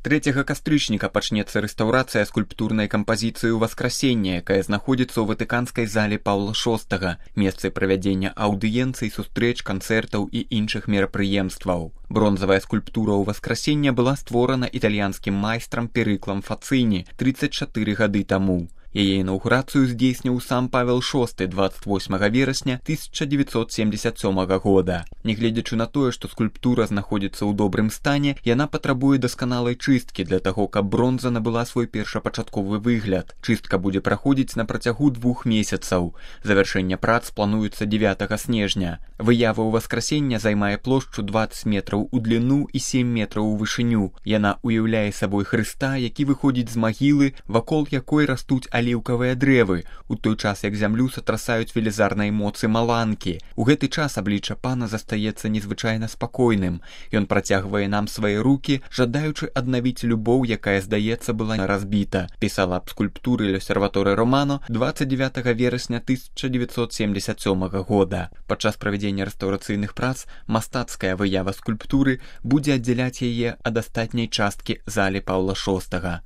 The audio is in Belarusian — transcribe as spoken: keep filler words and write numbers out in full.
трэцяга кастрычніка пачнецца рэстаўрацыя скульптурнай кампазіцыі «Васкрасенне», якая знаходзіцца ў ватыканскай зале Паўла шостага, месцы правядзення аўдыенцый, сустрэч, канцэртаў і іншых мерапрыемстваў. Бронзавая скульптура ў «Васкрасенне» была створана італьянскім майстрам Перыклам Фацыні трыццаць чатыры гады таму. Яе інаўгурацыю здзейсніў сам Павел шосты дваццаць восьмага верасня тысяча дзевяцьсот семдзесят сёмага года. Нягледзячы на тое, што скульптура знаходзіцца ў добрым стане, яна патрабуе дасканалай чысткі для таго, каб бронза набыла свой першапачатковы выгляд. Чыстка будзе праходзіць на працягу двух месяцаў. Завяршэнне прац плануецца дзевятага снежня. Выява ў «Васкрасення» займае плошчу дваццаць метраў у дліну і сем метраў у вышыню. Яна уяўляе сабой Хрыста, які выходзіць з магілы, вакол якой растуць аліўкавыя дрэвы, у той час як зямлю сатрасаюць велізарнай моцы маланкі. У гэты час аблічча пана застаецца незвычайна спакойным. Ён працягвае нам свае рукі, жадаючы аднавіць любоў, якая, здаецца, была разбіта, пісала аб скульптуры l'Osservatore Romano дваццаць дзевятага верасня тысяча дзевяцьсот семдзесят сёмага года. Падчас правядзення рэстаўрацыйных прац мастацкая выява скульптуры будзе аддзяляць яе ад астатняй часткі залі Паўла шостага.